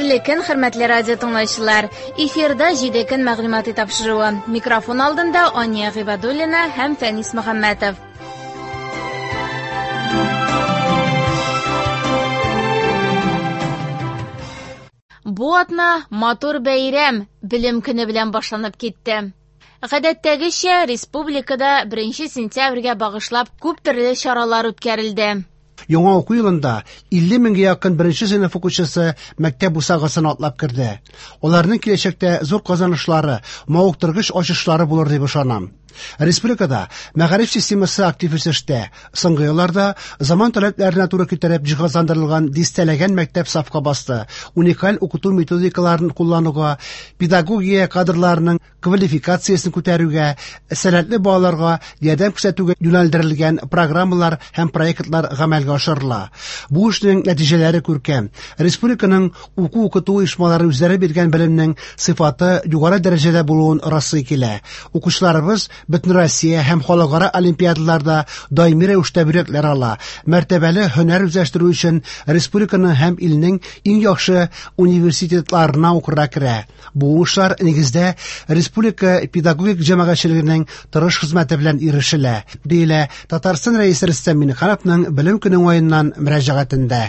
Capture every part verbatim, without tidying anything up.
Хәерле көн, хөрмәтле радио тыңлаучылар. Эфирда җиде көн мәгълүмати тапшыруы. Микрофон алдында Ания Гыйбадуллина һәм Фәнис Мөхәммәтов. Бу атна матур бәйрәм, белем көне белән башланып китте. Гадәттәгечә, республикада беренче сентябрьгә багышлап күп төрле чаралар үткәрелде. Яңа уку елында илле меңгә якын беренче сыйныф укучысы мәктәп бусагасын атлап керде. Аларның киләчәктә зур казанышлары, мавыктыргыч ачышлары булыр дип ышанам. Республикада мәгариф системасы актив үсештә. Соңгы елларда заман таләпләренә туры китереп җиһазландырылган дистәләгән мәктәп сафка басты. Уникаль укыту методикаларын куллануга, педагогия кадрларының квалификациясен күтәрүгә, сәләтле балаларга ярдәм күрсәтүгә юнәлдерелгән программалар һәм проектлар гамәлгә ашырыла. Бу эшнең нәтиҗәләре күркәм. Республиканың уку-укыту оешмалары үзләре биргән белемнең сыйфаты югары дәрәҗәдә булуын раслый килә. Укучыларыбыз бөтен Россия һәм халыкара олимпиадаларда даими рәвештә бүләкләр ала. Мәртәбәле һөнәр үзләштерү өчен республиканың һәм илнең иң яхшы университетларына укырга керә. Бу уңышлар нигездә республика педагогик җәмәгатьчелегенең тырыш хезмәте белән ирешелә, диелә Татарстан Рәисе Рөстәм Миңнехановның белем көне уңаеннан мөрәҗәгатендә.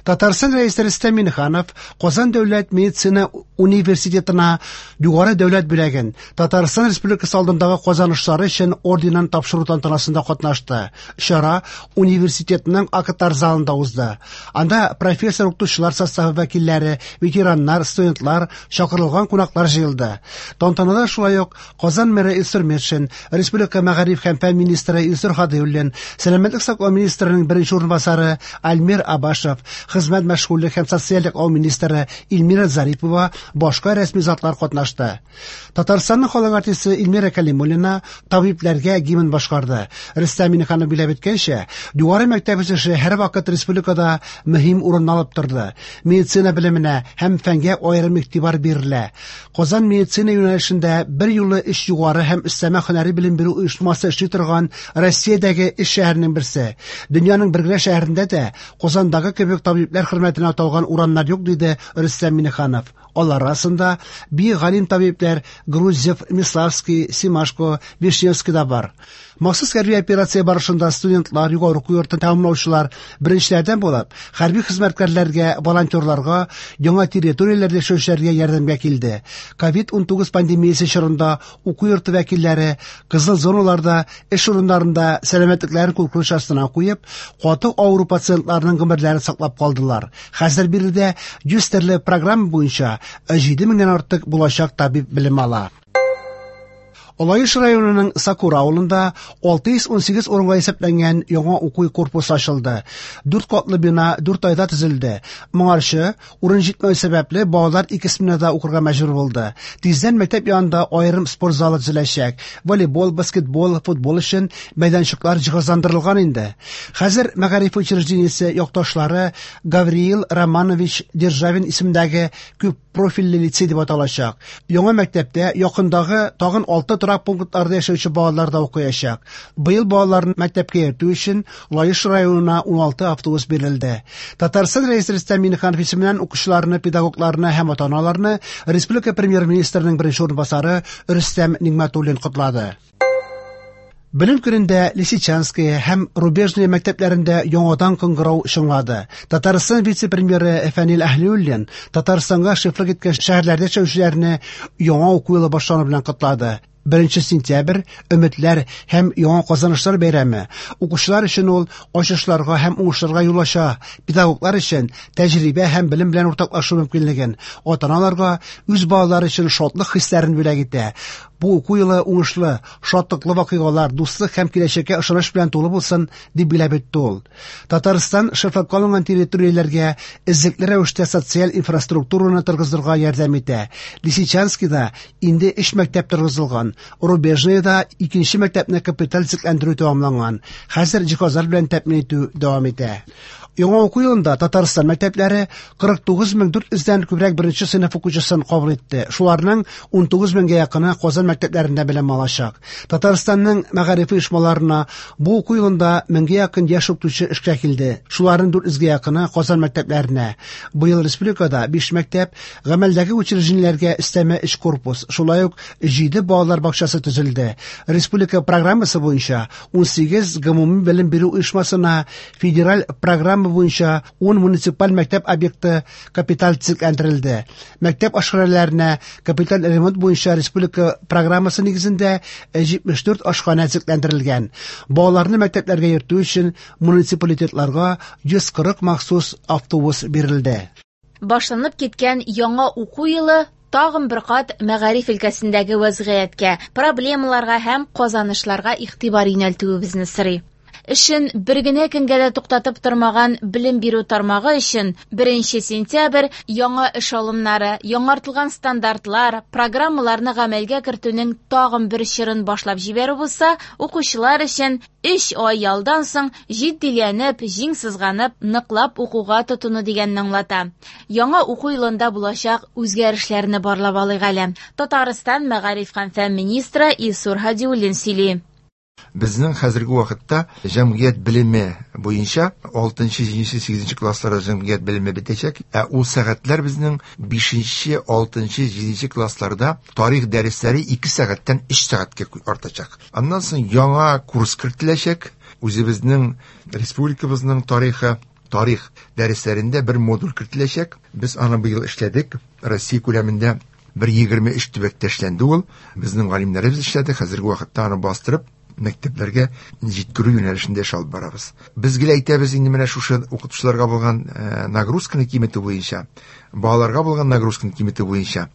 Татарстан Рәисе Рөстәм Миңнеханов Казан дәүләт медицина университетына югары дәүләт бүләген Татарстан Республикасы алдындагы казанышлары өчен орденын тапшыру тантанасында катнашты. Чара университетның актлар залында узды. Анда профессор укытучылар составы вәкилләре, ветераннар, студентлар, чакырылган кунаклар җыелды. Тантанада шулай ук Казан мэры Илсур Метшин, Республика мәгариф һәм фән министры Илсур Һадиуллин, сәламәтлек саклау министрының беренче урынбасары Альмир Абашев, хезмәт мәшгульлек һәм социаль яклау министры Эльмира Зарипова, башка рәсми затлар катнашты. Татарстанның халык артисты Эльмира Калимуллина табибләргә гимн башкарды. Рөстәм Миңнеханов билгеләп үткәнчә, югары мәктәп үсеше һәрвакыт республикада мөһим урын алып торды. Медицина белеменә һәм фәнгә аерым игътибар бирелә. Казан медицина юнәлешендә бер юлы өч югары һәм өстәмә һөнәри белем бирү оешмасы эшли торган Россиядәге өч шәһәрнең берсе. Дөньяның бер генә шәһәрендә дә Казандагы кебек табибләр хөрмәтенә аталган урамнар юк, диде Рөстәм Миңнеханов. Алар арасында бик галим табибләр Грузев, Миславский, Симашко, Вишневский да бар. Махсус хәрби операция барышында студентлар, югары уку йортын тәмамлаучылар беренчеләрдән булып, хәрби хезмәткәрләргә, волонтерларга, яңа территорияләрдә яшәүчеләргә ярдәмгә килде. ковид унтугыз пандемиясе чорында уку йорты вәкилләре кызыл зоналарда эш урыннарында сәламәтлекләрен куркыныч астына куеп, каты авыру пациентларның гомерләрен саклап калдылар. Хәзер биредә йөз төрле программа буенча җиде меңнән артык булачак табиб белем ала. Лаеш районының Сакура авылында алты йөз ун сигез урынга исәпләнгән яңа уку корпусы ачылды. Дүрт катлы бина дүрт айда төзелде. Моңарчы урын җитмәү сәбәпле балалар ике сменада укырга мәҗбүр булды. Тиздән мәктәп янында аерым спорт залы төзеләчәк. Волейбол, баскетбол, футбол өчен мәйданчыклар җиһазландырылган инде. Хәзер мәгариф учреждениесе якташлары Гавриил Романович Державин исемендәге күп профильле лицей дип аталачак. Яңа мәктәптә якындагы тагын алты торак пунктларда яшәүче балалар да укыячак. Быел балаларны мәктәпкә йөртү өчен Лаеш районына уналты автобус бирелде. Татарстан Рәисе Рөстәм Миңнеханов исеменнән укучыларны, педагогларны һәм ата-аналарны республика премьер-министрының беренче урынбасары Рөстәм Нигъмәтуллин котлады. Белем көнендә Лисичанская һәм Рубежная мәктәпләрендә яңадан кыңгырау чыңлады. Татарстан вице-премьеры Фәнил Әһлиуллин Татарстанга шефлык иткән шәһәрләрдә яшәүчеләрне яңа уку елы башлану белән котлады. Беренче сентябрь өметләр һәм яңа казанышлар бәйрәме. Укучылар өчен ул ачышларга һәм уңышларга юл ача. Педагоглар өчен тәҗрибә һәм белем белән уртаклашу мөмкинлеген, ата-аналарга үз балалары өчен шатлык хисләрен бүләк итә. Бу уку елы уңышлы, шатлыклы вакыйгалар, дуслык һәм киләчәккә ышаныч белән тулы булсын, дип билгеләп үтте ул. Татарстан шефлыкка алынган территорияләргә эзлекле рәвештә социаль инфраструктураны торгызырга ярдәм итә. Лисичанскида инде өч мәктәп торгызылган, Рубежныйда икенче мәктәпне капиталь төзекләндерү тәмамланган. Хәзер җиһазлар белән тәэмин итү дәвам итә. Яңа уку елында Татарстан мәктәпләре кырык тугыз мең дүрт йөздән күбрәк беренче сыйныф укучысын кабул итте. Шуларның ун тугыз меңгә якыны Казан мәктәпләрендә белем алачак. Татарстанның мәгариф оешмаларына бу уку елында меңгә якын яшь укытучы эшкә килде. Шуларның дүрт йөзгә якыны Казан мәктәпләренә. Быел республикада биш мәктәп, гамәлдәге учреждениеләргә өстәмә өч корпус, шулай ук җиде балалар бакчасы төзелде. Республика программасы буенча ун сигез гомуми белем бирү оешмасына федераль программа буенча ун муниципаль мәктәп объекты капиталь төзекләндерелде. Мәктәп ашханәләренә капиталь ремонт буенча республика программасы нигезендә җитмеш дүрт ашханә төзекләндерелгән. Балаларны мәктәпләргә йөртү өчен муниципалитетларга йөз кырык махсус автобус бирелде. Башланып киткән яңа уку елы тагын бер кат мәгариф өлкәсендәге вәзгыятькә, проблемаларга һәм казанышларга игътибар юнәлтүебезне сорый. Эшен бер генә көнгә дә туктатып тормаган белем бирү тармагы өчен беренче сентябрь яңа эш алымнары, яңартылган стандартлар, программаларны гамәлгә кертүнең тагын бер чорын башлап җибәрү булса, укучылар өчен өч ай ялдан соң җитдиләнеп, җиң сызганып, ныклап укуга тотыну дигәнне аңлата. Яңа уку елында булачак үзгәрешләрне барлап алыйк әле. Татарстан мәгариф һәм фән министры Илсур Һадиуллин сөйли. Безнең хәзерге вакытта җәмгыять белеме буенча алтынчы, җиденче, сигезенче классларда җәмгыять белеме бетәчәк. Ә ул сәгатьләр безнең бишенче, алтынчы, җиденче классларда тарих дәресләре ике сәгатьтән өч сәгатькә артачак. Аннан соң яңа курс кертеләчәк. Үзебезнең республикабызның тарихы, тарих дәресләрендә бер модуль кертеләчәк. Без аны быел эшләдек. Россия күләмендә бер егерме өч төбәктә эшләнде ул. Безнең галимнәребез эшләде. Хәзерге вакытта аны бастырып мәктәпләргә җиткерү юнәлешендә эш алып барабыз. Без гел әйтәбез инде менә шушы укытучыларга булган, э, нагрузканы киметү буенча, балаларга булган нагрузканы киметү буенча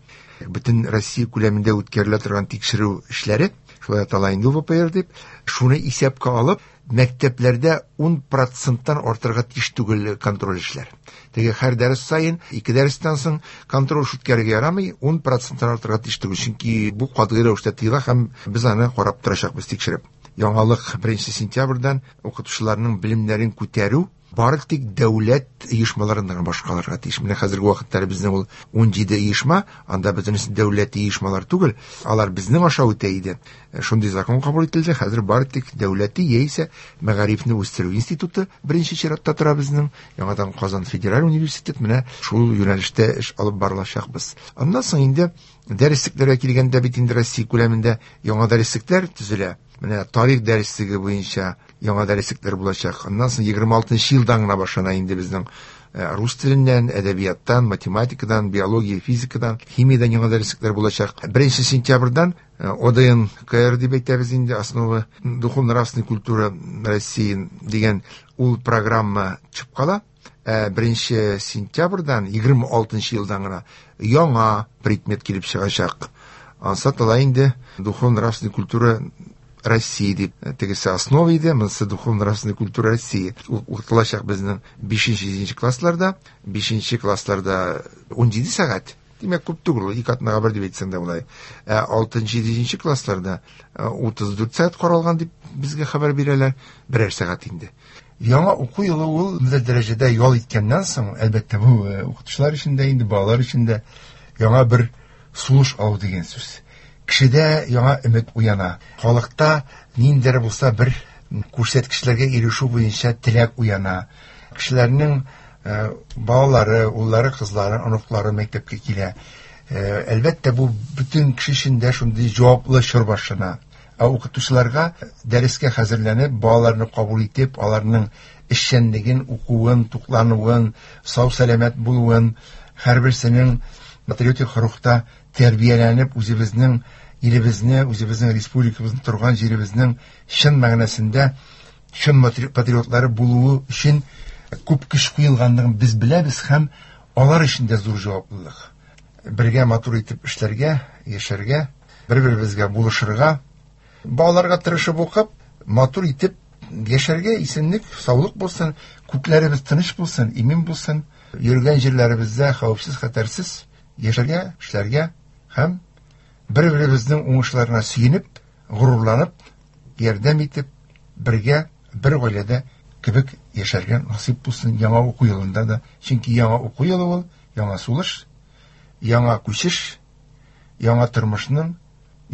бөтен Россия күләмендә үткәрелә торган тикшерү эшләре, шулай атала инде вэ пэ эр дип, шуны исәпкә алып, мәктәпләрдә ун проценттан артырга тиеш түгел контроль эшләр. Теге һәр дәрес саен, ике дәрестән соң контроль үткәрергә ярамый, ун проценттан артырга тиеш түгел, чөнки бу катгый рәвештә тыела һәм без аны карап торачакбыз, тикшереп. Яңалык беренче сентябрьдән укытучыларның белемнәрен күтәрү бары тик дәүләт оешмаларыннан башкаларга тиеш. Менә хәзерге вакытта безнең ул ун җиде оешма, анда бөтенесе дәүләт оешмалар түгел, алар безнең аша үтә иде. Шундый закон кабул ителде, хәзер бары тик дәүләти яисә мәгарифне үстерү институты беренче чиратта тора безнең. Яңадан Казан федераль университет, менә шул юнәлештә эш алып барылачакбыз. Аннан соң инде дәреслекләргә килгәндә бит инде Россия күләмендә яңа дәреслекләр төзелә. Менә тарих дәреслеге буенча яңа дәреслекләр булачак. Аннан соң егерме алтынчы елдан гына башлана инде безнең, э, рус теленнән, әдәбияттан, математикадан, биология, физикадан, химиядан яңа дәреслекләр булачак. Беренче сентябрьдән, э, о дэ эн ка эр дип әйтәбез инде, основы духовно-нравственной культуры России дигән ул программа чыгып кала. Э, беренче сентябрьдән егерме алтынчы елдан гына яңа предмет килеп чыгачак. Ансат ала инде духовно-нравственной культура России дип, тегесе основа иде, монысы духовно-нравственная культура России. Укытылачак безнең бишенче, җиденче классларда, бишенче классларда ун җиде сәгать. Димәк, күп түгел, ике атнага бер дип әйтсәң дә болай. Ә алтынчы, җиденче классларда, э, утыз дүрт сәгать каралган дип безгә хәбәр бирәләр, берәр сәгать инде. Яңа уку елы ул бер дәрәҗәдә ял иткәннән соң, әлбәттә, бу, э, укытучылар өчен дә инде, балалар өчен дә яңа бер сулыш алу дигән сүз. Кешедә яңа өмет уяна. Халыкта ниндидер булса бер күрсәткечләргә ирешү буенча теләк уяна. Кешеләрнең, э, балалары, уллары, кызлары, оныклары мәктәпкә килә. Э, әлбәттә, бу бөтен кеше өчен дә шундый җаваплы чор башлана. Ә укытучыларга дәрескә хәзерләнеп, балаларны кабул итеп, аларның эшчәнлеген, укуын, туклануын, сау-сәламәт булуын, һәрберсенең патриотик рухта тәрбияләнеп, үзебезнең илебезне, үзебезнең республикабызны, торган җиребезнең чын мәгънәсендә чын матри-, патриотлары булуы өчен күп көч куелганлыгын без беләбез һәм алар өчен дә зур җаваплылык. Бергә матур итеп эшләргә, яшәргә, бер-беребезгә булышырга, балаларга тырышып укып, матур итеп яшәргә, исәнлек, саулык булсын, күкләребез тыныч булсын, имин булсын, йөргән җирләребездә хәвефсез, хәтәрсез яшәргә, эшләргә һәм бер-беребезнең уңышларына сөенеп, горурланып, ярдәм итеп, бергә, бер гаиләдә кебек яшәргә насыйп булсын яңа уку елында да. Чөнки яңа уку елы ул яңа сулыш, яңа күчеш, яңа тормышның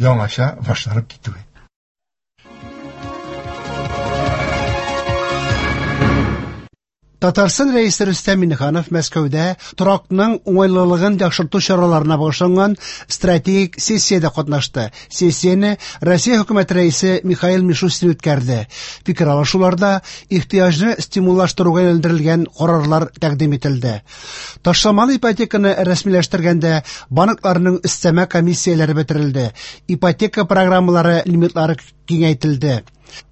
яңача башланып китүе. Татарстан Рәисе Рөстәм Миңнеханов Мәскәүдә торакның уңайлылыгын яхшырту чараларына багышланган стратегик сессиядә катнашты. Сессияне Россия хөкүмәте рәисе Михаил Мишустин үткәрде. Фикер алышуларда ихтыяҗны стимуллаштыруга юнәлдерелгән карарлар тәкъдим ителде. Ташламалы ипотеканы рәсмиләштергәндә банкларның өстәмә комиссияләре бетерелде. Ипотека программалары лимитлары киңәйтелде.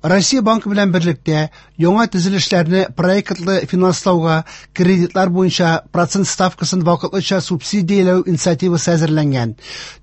Россия банкы белән берлектә яңа төзелешләрне проектлы финанслауга кредитлар буенча процент ставкасын вакытлыча субсидияләү инициативасы әзерләнгән.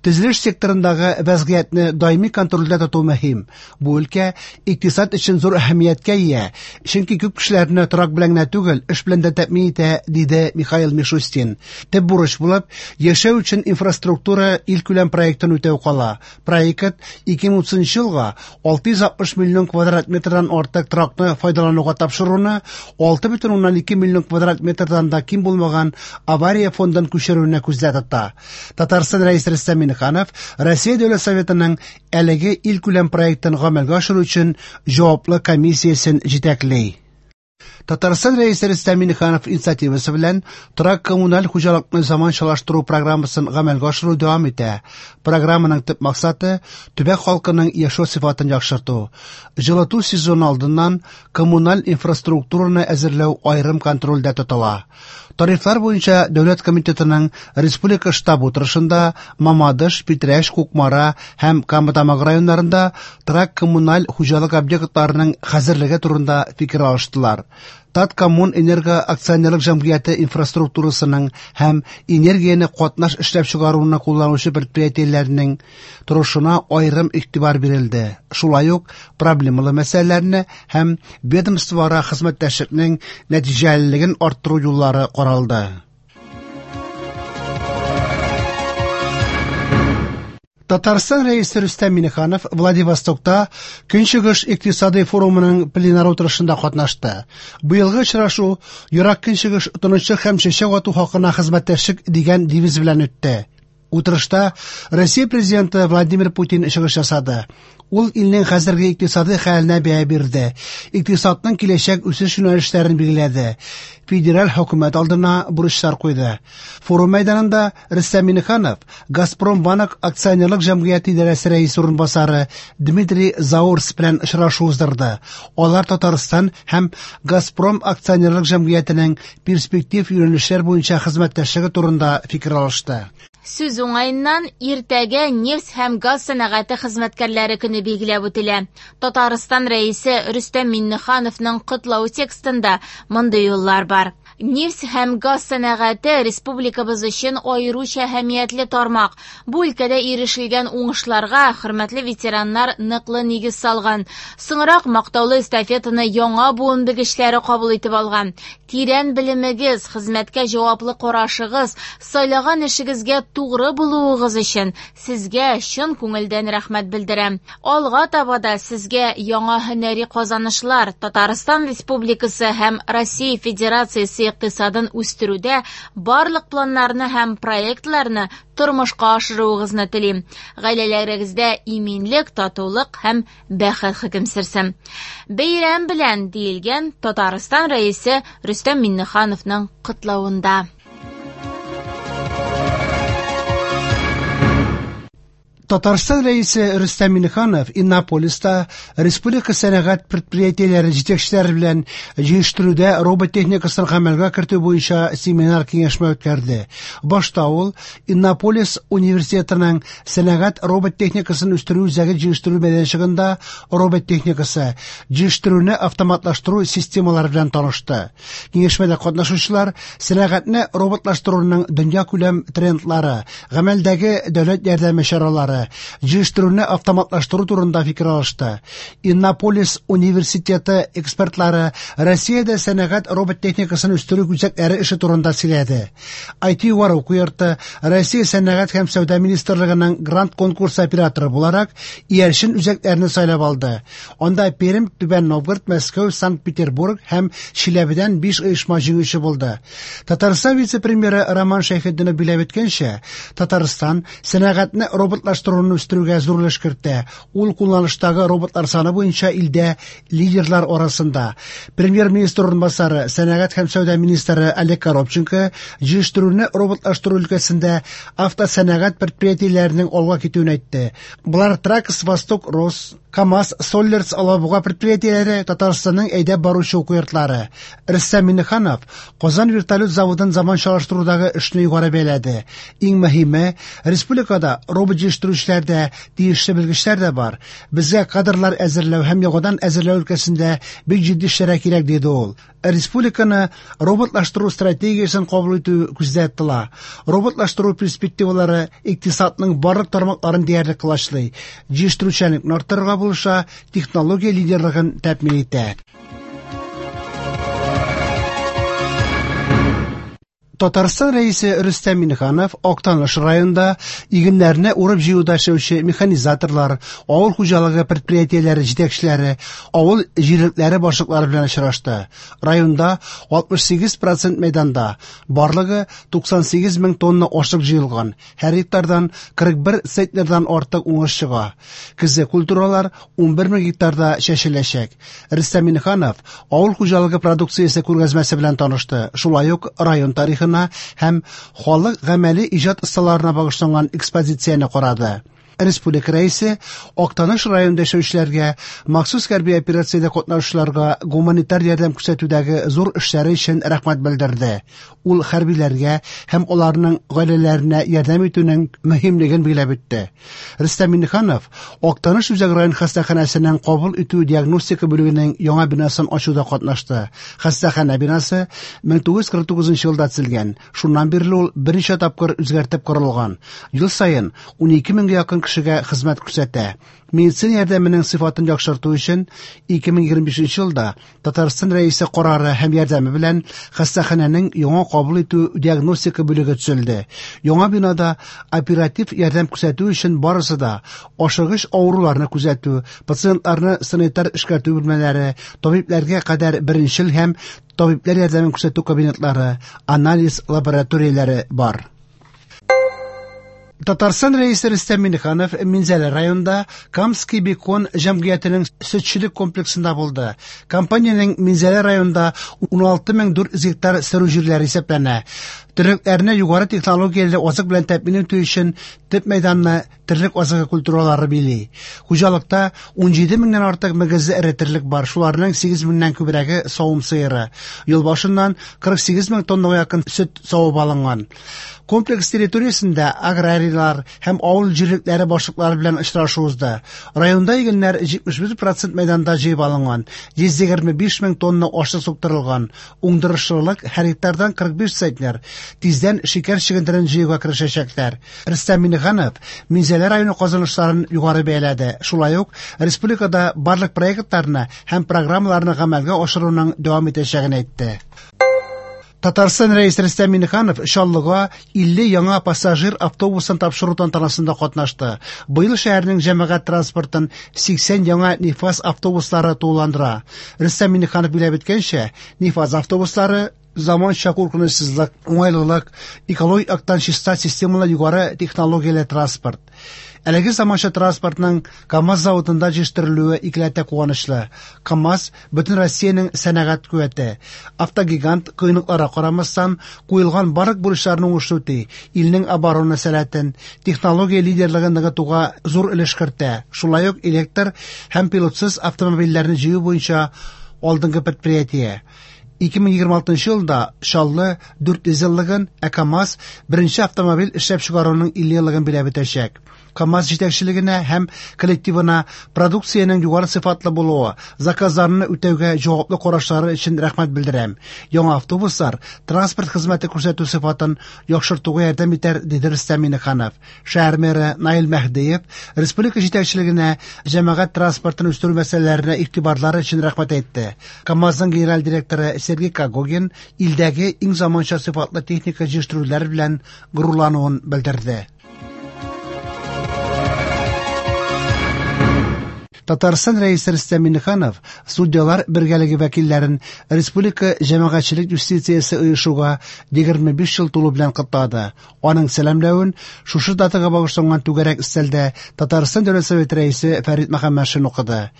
Төзелеш секторындагы вәзгыятьне даими контрольдә тоту мөһим. Бу өлкә икътисад өчен зур әһәмияткә ия, чөнки күп кешеләрне торак белән генә түгел, эш белән дә тәэмин итә, диде Михаил Мишустин. Төп бурыч булып яшәү өчен инфраструктура илкүләм проектын үтәү кала. Проект ике мең утызынчы елга алты йөз алтмыш миллион квадрат метрдан артык торакны файдалануга тапшыруны, алты бөтен уннан ике миллион квадрат метрдан да ким булмаган авария фондын күчерүне күздә тота. Татарстан Рәисе Рөстәм Миңнеханов Россия Дәүләт Советының әлеге илкүләм проектын гамәлгә ашыру өчен җаваплы комиссиясен җитәкли. Татарстан Рәисе Рөстәм Миңнеханов инициативасы белән торак коммуналь хуҗалыкны заманчалаштыру программасын гамәлгә ашыру дәвам итә. Программаның төп максаты төбәк халкының яшәү сыйфатын яхшырту. Җылыту сезоны алдыннан коммуналь инфраструктураны әзерләү аерым контрольдә тотыла. Тарифлар буенча Дәүләт комитетының республика штабы утырышында Мамадыш, Питрәч, Кукмара һәм Кама Тамагы районнарында торак коммуналь хуҗалык объектларының хәзерлеге турында фикер алыштылар. Таткоммунэнерго акционерлык җәмгыяте инфраструктурасының һәм энергияне катнаш эшләп чыгаруны кулланучы предприятиеләрнең торышына аерым игътибар бирелде. Шулай ук проблемалы мәсьәләләрне һәм ведомствоара хезмәттәшлекнең нәтиҗәлелеген арттыру юллары каралды. Татарстан Рәисе Рөстәм Миңнеханов Владивостокта Көнчыгыш икътисади форумының пленар утырышында катнашты. Быелгы очрашу Ерак Көнчыгыш тынычлык һәм чәчәк ату хакына хезмәттәшлек дигән девиз белән үтте. Утырышта Россия президенты Владимир Путин чыгыш ясады. Ул илнең хәзерге икътисади хәленә бәя бирде. Икътисадның киләчәк үсеш юнәлешләрен билгеләде. Федераль хөкүмәт алдына бурычлар куйды. Форум мәйданында Рөстәм Миңнеханов Газпром Банк акционерлык җәмгыяте идарәсе рәисе урынбасары Дмитрий Заурс белән очрашу уздырды. Алар Татарстан һәм Газпром акционерлык җәмгыятенең перспектив юнәлешләр буенча хезмәттәшлеге турында фикер алышты. Сүз уңаеннан иртәгә нефть һәм газ сәнәгате хезмәткәрләре көне билгеләп үтелә. Татарстан Рәисе Рөстәм Миңнехановның котлау текстында мондый юллар бар. Нефть һәм газ сәнәгате республикабыз өчен аеруча әһәмиятле тармак. Бу өлкәдә ирешелгән уңышларга хөрмәтле ветераннар ныклы нигез салган. Соңрак мактаулы эстафетаны яңа буын белгечләре кабул итеп алган. Тирән белемегез, хезмәткә җаваплы карашыгыз, сайлаган эшегезгә тугры булуыгыз өчен сезгә чын күңелдән рәхмәт белдерәм. Алга таба да сезгә яңа һөнәри казанышлар, Татарстан Республикасы һәм Россия Федерациясе икътисадын үстерүдә барлык планнарны һәм проектларны тормышка ашыруыгызны телим. Гаиләләрегездә иминлек, татулык һәм бәхет хөкем сөрсен. Бәйрәм белән диелгән Татарстан Рәисе Рөстәм Миңнехановның котлавында. Татарстан Рәисе Рөстәм Миңнеханов Иннополиста республика сәнәгать предприятиеләре җитәкчеләре белән җыештыруда робот техникасын гамәлгә кертү буенча семинар киңәшмә үткәрде. Башта ул Иннополис университетының сәнәгать робот техникасын үстерү үзәге җыештыру мәйданчыгында робот техникасы, җыештыруны автоматлаштыру системалары белән танышты. Киңәшмәдә катнашучылар сәнәгатьне роботлаштыруның дөнья күләм трендлары, гамәлдәге дәүләт ярдәме чаралары, роботлары, җыештыруны автоматлаштыру турында фикер алышты. Иннополис университеты экспертлары Россиядә сәнәгать робот техникасын үстерү үзәкләре эше турында сөйләде. ай ти югары уку йорты Россия сәнәгать һәм сәүдә министрлыгының грант конкурсы операторы буларак иярчен үзәкләрне сайлап алды. Анда Пермь, Түбән Новгород, Мәскәү, Санкт-Петербург һәм Чиләбедән биш оешма җиңүче булды. Татарстан вице-премьеры Роман Шәйхетдинов билгеләп үткәнчә, Татарстан сәнәгатьне роботлаштыруны үстерүгә зур өлеш кертә. Ул кулланыштагы роботлар саны буенча илдә лидерлар арасында. Премьер-министр урынбасары, сәнәгать һәм сәүдә министры Олег Коробченко җыештыруны роботлаштыру өлкәсендә автосәнәгать предприятиеләренең алга китүен әйтте. Болар Тракс, Восток, Рос, КАМАЗ, Соллерс, Алабуга предприятиеләре Татарстанның әйдәп баручы уку йортлары. Рөстәм Миңнеханов Казан вертолет заводын заманчалаштырудагы эшне югары бәяләде. Иң мөһиме, республикада робот җыештыручылар да, тиешле белгечләр дә бар. Безгә кадрлар әзерләү һәм яңадан әзерләү өлкәсендә бик җитди эшләргә кирәк, диде ул. Республиканы роботлаштыру стратегиясен кабул итү күздә тотыла. Роботлаштыру перспективалары икътисадның барлык тармакларын диярлек колачлый. Җыештыручанлыкны арттырырга булыша, технология лидерлыгын тәэмин итә. Татарстан рәисе Рөстәм Миңнеханов Актаныш районында игеннәрне урып җыюда эшләүче механизаторлар, авыл хуҗалыгы предприятиеләре җитәкчеләре, авыл җирлекләре башлыклары белән очрашты. Районда алтмыш сигез процент мәйданда барлыгы туксан сигез мең тонна ашлык җыелган. Һәр гектардан кырык бер центнердан артык уңыш чыга. Көзге культуралар унбер мең гектарда чәчеләчәк. Рөстәм Миңнеханов авыл хуҗалыгы продукциясе күргәзмәсе белән танышты. Шулай ук район тарихына һәм халык гамәли иҗат осталарына багышланган экспозицияне карады. Республика рәисе Актаныш районында яшәүчеләргә, махсус хәрби операциядә катнашучыларга гуманитар ярдәм күрсәтүдәге зур эшләре өчен рәхмәт белдерде. Ул хәрбиләргә һәм аларның гаиләләренә ярдәм итүнең мөһимлеген билгеләп үтте. Рөстәм Миңнеханов Актаныш үзәк район хастаханәсенең кабул итү диагностика бүлегенең яңа бинасын ачуда катнашты. Хастаханә бинасы мең тугыз йөз кырык тугызынчы елда төзелгән. Шуннан бирле ул берничә тапкыр үзгәртеп корылган. Ел саен унике меңгә якын кешегә хезмәт күрсәтә. Медицина ярдәменең сыйфатын яхшырту өчен ике мең егерме бишенче елда Татарстан рәисе карары һәм ярдәме белән хастаханәнең яңа кабул итү диагностика бүлеге төзелде. Яңа бинада оператив ярдәм күрсәтү өчен барысы да ашыгыч авыруларны күзәтү, пациентларны санитар эшкәртү бүлмәләре, табибләргә кадәр беренчел һәм табибләр ярдәмен күрсәтү кабинетлары, анализ лабораторияләре бар. Татарстан рәисе Рөстәм Миңнеханов Минзәлә районында Камский бекон җәмгыятенең сөтчелек комплексында булды. Компаниянең Минзәлә районында уналты мең дүрт йөз гектар сөрү җирләре исәпләнә. Терлекләрне югары технологияле азык белән тәэмин итү өчен төп мәйданны терлек азыгы культуралары били. Хуҗалыкта унҗиде меңнән артык мөгезле эре терлек бар, шуларның сигез меңнән күбрәге савым сыеры. Ел башыннан кырык сигез мең тоннага якын сөт савып алынган. Комплекс территориясендә аграрийлар һәм авыл җирлекләре башлыклары белән очрашу узды. Районда игеннәр җитмеш бер процент мәйданда җыеп алынган, йөз егерме биш мең тонна ашлык суктырылган. Уңдырышлылык һәр гектардан кырык биш центнер. Тиздән шикәр чөгендерен җыюга керешәчәкләр. Рөстәм Миңнеханов Минзәлә районы казанышларын югары бәяләде. Шулай ук республикада барлык проектларны һәм программаларны гамәлгә ашыруның дәвам итәчәген әйтте. Татарстан рәисе Рөстәм Миңнеханов Чаллыга илле яңа пассажир автобусын тапшыру тантанасында катнашты. Быел шәһәрнең җәмәгать транспортын сиксән яңа Нефаз автобуслары тулыландыра. Рөстәм Миңнеханов билгеләп үткәнчә, Нефаз автобуслары заманча куркынычсызлык, уңайлылык, экологик яктан чиста системалы югары технологияле транспорт. Әлеге заманча транспортның КАМАЗ заводында җитештерелүе икеләтә куанычлы. КАМАЗ бөтен Россиянең сәнәгать куәте. Автогигант кыенлыкларга карамастан куелган барлык бурычларны уңышлы үти, илнең оборона сәләтен, технология лидерлыгын ныгытуга зур өлеш кертә. Шулай ук электр һәм пилотсыз автомобильләрне җыю буенча алдынгы предприятие. ике мең егерме алтынчы елда Чаллы дүрт йөз еллыгын, ә КАМАЗ беренче автомобиль эшләп чыгаруның илле еллыгын биләп үтәчәк. КАМАЗ җитәкчелегенә һәм коллективына продукциянең югары сыйфатлы булуы, заказларны үтәүгә җаваплы карашлары өчен рәхмәт белдерәм. Яңа автобуслар транспорт хезмәте күрсәтү сыйфатын яхшыртуга ярдәм итәр, диде Рөстәм Миңнеханов. Шәһәр мэры Наил Мәһдиев республика җитәкчелегенә җәмәгать транспортын үстерү мәсьәләләренә игътибарлары өчен рәхмәт әйтте. КАМАЗның генераль директоры Сергей Когогин илдәге иң заманча сыйфатлы техника җитештерүләр белән горурлануын белдерде. Татарстан Рәисе Рөстәм Миңнеханов судьялар бергәлеге вәкилләрен республика җәмәгатьчелек юстициясе оешуга егерме биш ел тулу белән котлады. Аның сәламләвен шушы датага багышланган түгәрәк өстәлдә Татарстан Дәүләт Советы рәисе Фәрит Мөхәммәтшин укыды.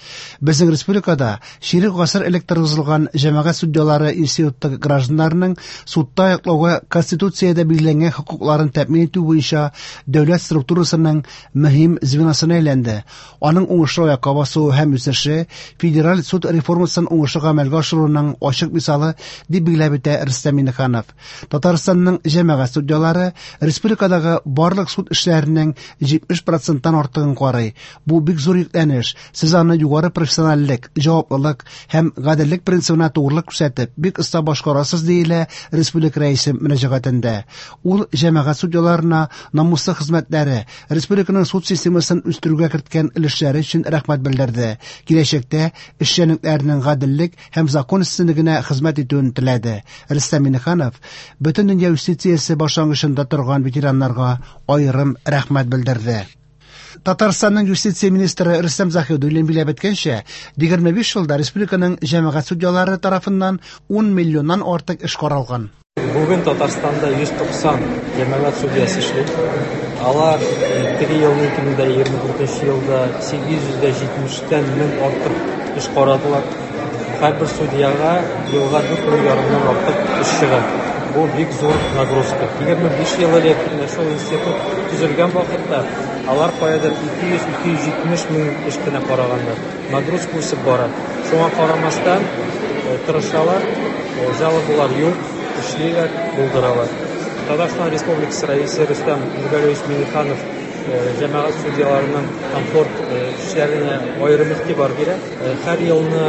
Безнең республикада чирек гасыр элек торгызылган җәмәгать судьялары институты гражданнарының судта яклауга Конституциядә билгеләнгән хокукларын тәэмин итү буенча дәүләт структурасының мөһим звеносына әйләнде. Аның уңышлы аякка басуы һәм үсеше федераль суд реформасын уңышлы гамәлгә ашыруның ачык мисалы, дип билгеләп үтә Рөстәм Миңнеханов. Татарстанның җәмәгать судьялары республикадагы барлык суд эшләренең җитмеш проценттан артыгын карый. Бу бик зур йөкләнеш. Сез аны югары профессиональлек, җаваплылык һәм гаделлек принцибына тугрылык күрсәтеп, бик оста башкарасыз, диелә республика рәисе мөрәҗәгатендә. Ул җәмәгать судьяларына намуслы хезмәтләре, республиканың суд системасын үстерүгә керткән өлешләре өчен рәхмәт белдерде. Киләчәктә эшчәнлекләренең гаделлек һәм закон өстенлегенә хезмәт итүен теләде. Рөстәм Миңнеханов бөтен дөнья юстициясе башлангычында торган ветераннарга аерым рәхмәт белдерде. Татарстанның юстиция министры Рөстәм Заһидуллин билгеләп үткәнчә, егерме биш елда республиканың җәмәгать судьялары тарафыннан ун миллионнан артык эш каралган. Бүген Татарстанда йөз туксан җәмәгать судьясы эшли. Алар теге елны ике мең егерме дүртенче елда сигез йөз дә җитмештән мең артык эш карадылар. Һәрбер судьяга елга дүрт мең ярымнан артык эш чыга. Бу бик зур нагрузка. Егерме биш ел элек менә шул институт төзелгән вакытта алар каядыр ике йөз, ике йөз җитмеш мең эш кенә караганнар. Нагрузка үсеп бара. Шуңа карамастан тырышалар, жалобалар юк, эшлиләр, булдыралар. Татарстан Республикасы Рәисе Рөстәм Нургалиевич Миңнеханов җәмәгать судьяларының комфорт эшләренә аерым игътибар бирә. Һәр елны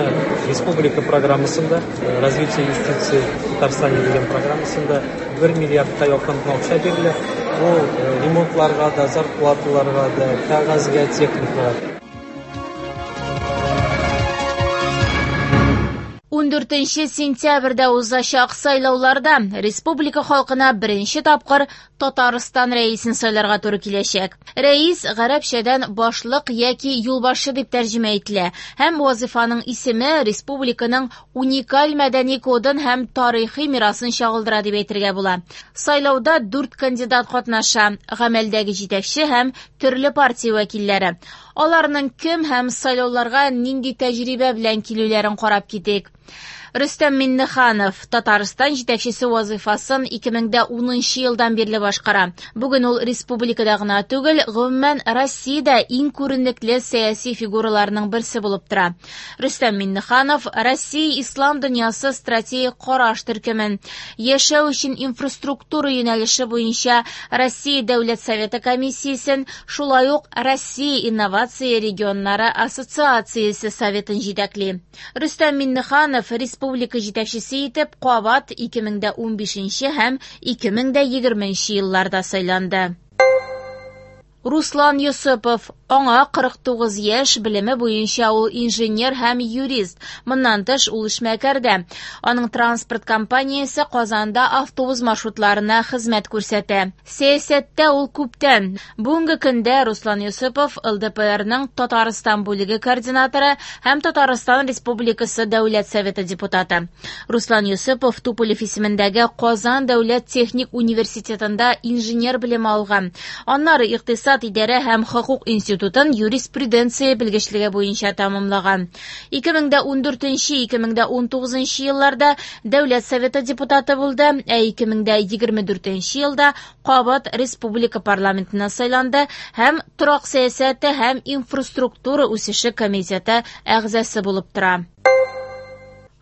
республика программасында, развитие юстиции Татарстане дигән программасында бер миллиардка якын акча бирелә. Бу ремонтларга да, зарплаталарга да, кәгазьгә, техникага. Ундүртенче сентябрьдә узачак сайлауларда республика халкына беренче тапкыр Татарстан рәисен сайларга туры киләчәк. Рәис гарәпчәдән башлык яки юлбашчы дип тәрҗемә ителә һәм вазифаның исеме республиканың уникаль мәдәни кодын һәм тарихи мирасын чагылдыра дип әйтергә була. Сайлауда дүрт кандидат катнаша: гамәлдәге җитәкче һәм төрле партия вәкилләре. Аларның кем һәм сайлауларга нинди тәҗрибә белән килүләрен карап китик. Рөстәм Миңнеханов Татарстан җитәкчесе вазифасын ике мең дә унынчы елдан бирле башкара. Бүген ул республикада гына түгел, гомумән Россиядә иң күренекле сәяси фигураларның берсе булып тора. Рөстәм Миңнеханов Россия ислам дөньясы стратегик караш төркемен, яшәү өчен инфраструктура юнәлеше буенча Россия Дәүләт Советы комиссиясен, шулай ук Россия инновация регионнары ассоциациясе советын җитәкли. Рөстәм Миңнеханов республика җитәкчесе итеп кабат ике мең дә унбишенче һәм ике мең дә егерменче елларда сайланды. Руслан Йосыпов, аңа кырык тугыз яшь, белеме буенча ул инженер һәм юрист. Моннан тыш ул эшмәкәр дә. Аның транспорт компаниясе Казанда автобус маршрутларына хезмәт күрсәтә. Сәясәттә ул күптән. Бүгенге көндә Руслан Йосыпов Л Д П Рның Татарстан бүлеге координаторы һәм Татарстан Республикасы Дәүләт Советы депутаты. Руслан Йосыпов Туполев исемендәге Казан Дәүләт техник университетында инженер белеме алган. Аннары икътисад идарә һәм хокук институтын юриспруденция белгечлеге буенча тәмамлаган. ике мең дә ундүртенче, ике мең дә унтугызынчы елларда Дәүләт Советы депутаты булды, ә ике мең дә егерме дүртенче елда кабат республика парламентына сайланды һәм торак сәясәте һәм инфраструктура үсеше комитеты әгъзасы булып тора.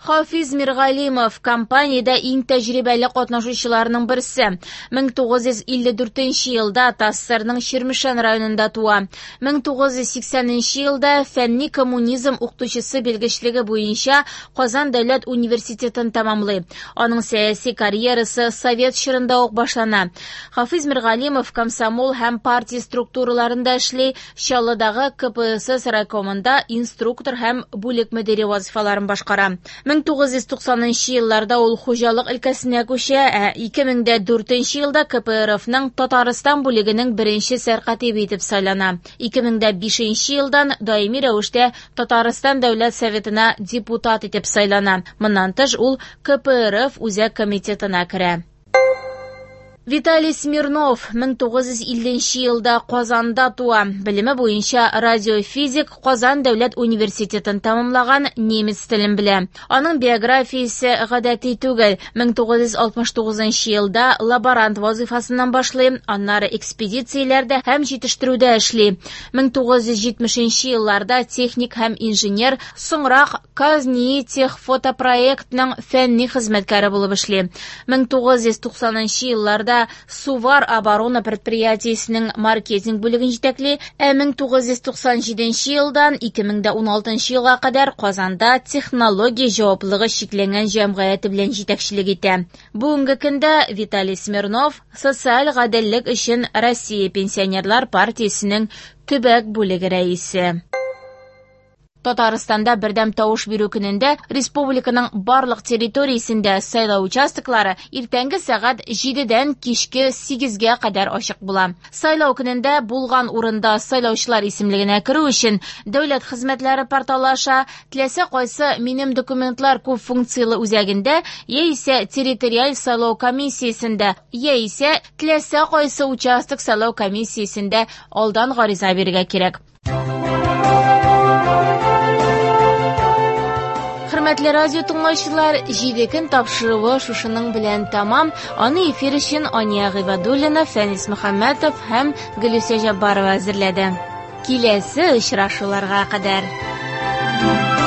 Хафиз Миргалимов компаниядә иң тәҗрибәле катнашучыларның берсе. мең тугыз йөз илле дүртенче елда ТАССРның Чирмешән районында туа. мең тугыз йөз сиксәненче елда фәнни коммунизм укытучысы белгечлеге буенча Казан дәүләт университетын тәмамлый. Аның сәяси карьерасы совет чорында ук башлана. Хафиз Миргалимов комсомол һәм партия структураларында эшли, Чаллыдагы К П С С райкомында инструктор һәм бүлек мөдире вазифаларын башкара. мең тугыз йөз туксанынчы елларда ул хуҗалык өлкәсенә күчә, ә ике мең дә дүртенче елда К П Р Фның Татарстан бүлегенең беренче сәркатибе итеп сайлана. ике мең дә бишенче елдан даими рәвештә Татарстан Дәүләт Советына депутат итеп сайлана. Моннан тыш ул К П Р Ф Үзәк комитетына керә. Виталий Смирнов мең тугыз йөз илленче елда Казанда туа. Белеме буенча радиофизик, Казан дәүләт университетын тәмамлаган, немец телен белә. Аның биографиясе гадәти түгел. мең тугыз йөз алтмыш тугызынчы елда лаборант вазифасыннан башлый, аннары экспедицияләрдә һәм җитештерүдә эшли. мең тугыз йөз җитмешенче елларда техник һәм инженер, соңрак Казнитехфотопроектның фәнни хезмәткәре булып эшли. мең тугыз йөз туксанынчы елларда Сувар оборона предприятиесенең маркетинг бүлеген җитәкли, ә мең тугыз йөз туксан җиденче елдан ике мең дә уналтынчы елга кадәр Казанда технология җаваплылыгы чикләнгән җәмгыяте белән җитәкчелек итә. Бүгенге көндә Виталий Смирнов социаль гаделлек өчен Россия пенсионерлар партиясенең төбәк бүлеге рәисе. Татарстанда бердәм тавыш бирү көнендә республиканың барлык территориясендә сайлау участоклары иртәнге сәгать җидедән кичке сигезгә кадәр ачык була. Сайлау көнендә булган урында сайлаучылар исемлегенә керү өчен дәүләт хезмәтләре порталы аша теләсә кайсы минем документлар күп функцияле үзәгендә яисә территориаль сайлау комиссиясендә яисә теләсә кайсы участок сайлау комиссиясендә алдан гариза бирергә кирәк. Хөрмәтле радио тыңлаучылар, җиде көн тапшыруы шушының белән тамам. Аны эфир өчен Ания Гыйбадуллина, Фәнис Мөхәммәтов һәм Гөлүсә Җаббарова әзерләде. Киләсе очрашуларга кадәр.